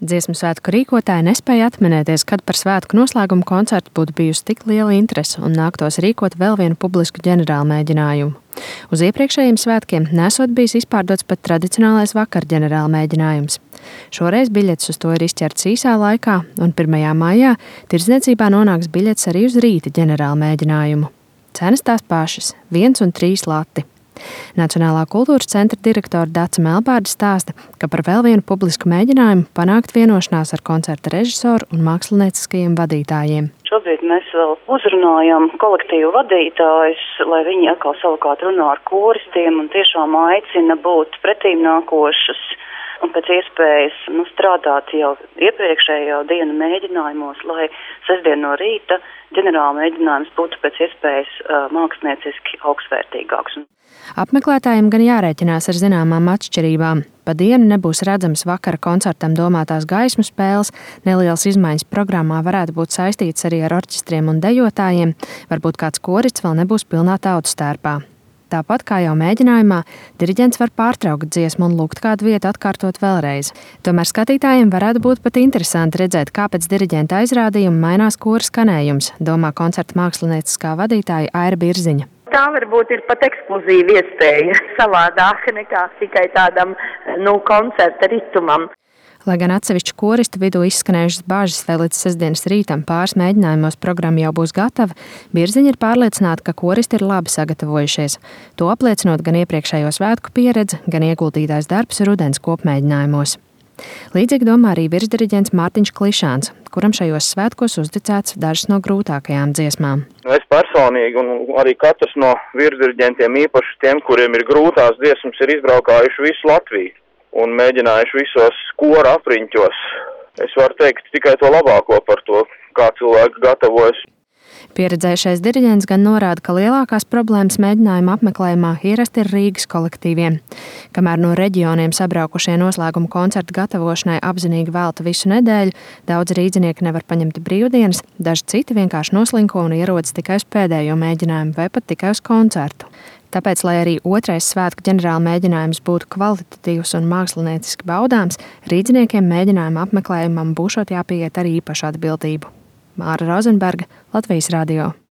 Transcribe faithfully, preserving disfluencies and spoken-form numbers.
Dziesmu svētku rīkotāji nespēja atminēties, kad par svētku noslēgumu koncertu būtu bijusi tik liela interese un nāktos rīkot vēl vienu publisku ģenerālu mēģinājumu. Uz iepriekšējiem svētkiem nesot bijis izpārdots pat tradicionālais vakar ģenerāla mēģinājums. Šoreiz biļetes uz to ir izķerts īsā laikā, un pirmajā maijā tirdzniecībā nonāks biļetes arī uz rīta ģenerāla mēģinājumu. Cenas tās pašas – viens un trīs lati. Nacionālā kultūras centra direktore Dace Melbārde stāsta, ka par vēl vienu publisku mēģinājumu panākt vienošanās ar koncerta režisoru un mākslinieciskajiem vadītājiem. Šobrīd mēs vēl uzrunājam kolektīvu vadītājus, lai viņi atkal savukārt runā ar koristiem un tiešām aicina būt pretīmnākošus un pēc iespējas nu, strādāt jau iepriekšējo dienu mēģinājumos, lai sestdien no rīta ģenerāla mēģinājums būtu pēc iespējas uh, mākslinieciski augstvērtīgāks. Apmeklētājiem gan jārēķinās ar zināmām atšķirībām. Pa dienu nebūs redzams vakara koncertam domātās gaismu spēles, nelielas izmaiņas programmā varētu būt saistītas arī ar orķestriem un dejotājiem, varbūt kāds korists vēl nebūs pilnā tautas tērpā. Tāpat kā jau mēģinājumā, diriģents var pārtraukt dziesmu un lūgt kādu vietu atkārtot vēlreiz. Tomēr skatītājiem varētu būt pat interesanti redzēt, kāpēc diriģenta aizrādījuma mainās kora skanējums, domā koncerta mākslinieciskā vadītāja Aira Birziņa. Tā varbūt ir pat ekskluzīva iespēja, savādāka nekā tikai tādam nu, koncerta ritumam. Lai gan atsevišķu koristu vidū izskanējušas bāžas, vai līdz sestdienas rītam pāris mēģinājumos programma jau būs gatava, Birziņa ir pārliecināta, ka koristi ir labi sagatavojušies. To apliecinot gan iepriekšējo svētku pieredze, gan ieguldītais darbs rudens kopmēģinājumos. Līdzīgi domā arī virsdiriģents Mārtiņš Klišāns, kuram šajos svētkos uzticēts dažas no grūtākajām dziesmām. Es personīgi un arī katrs no virsdiriģentiem, īpaši tiem, kuriem ir grūtās dziesmas, ir izbraukājuši visu Latviju un mēģinājuši visos kora apriņķos. Es varu teikt tikai to labāko par to, kā cilvēki gatavojas. Pieredzējušais diriģents gan norāda, ka lielākās problēmas mēģinājuma apmeklējumā ierasti ir Rīgas kolektīviem. Kamēr no reģioniem sabraukušie noslēguma koncerta gatavošanai apzinīgi velta visu nedēļu, daudz rīdzinieki nevar paņemt brīvdienas, daži citi vienkārši noslinko un ierodas tikai uz pēdējo mēģinājumu vai pat tikai uz koncertu. Tāpēc, lai arī otrais svētku ģenerāla mēģinājums būtu kvalitatīvs un mākslinieciski baudāms, rīdziniekiem mēģinājuma apmeklējumam būšot jāpieiet ar īpašu atbildību. Māra Rozenberga, Latvijas radio.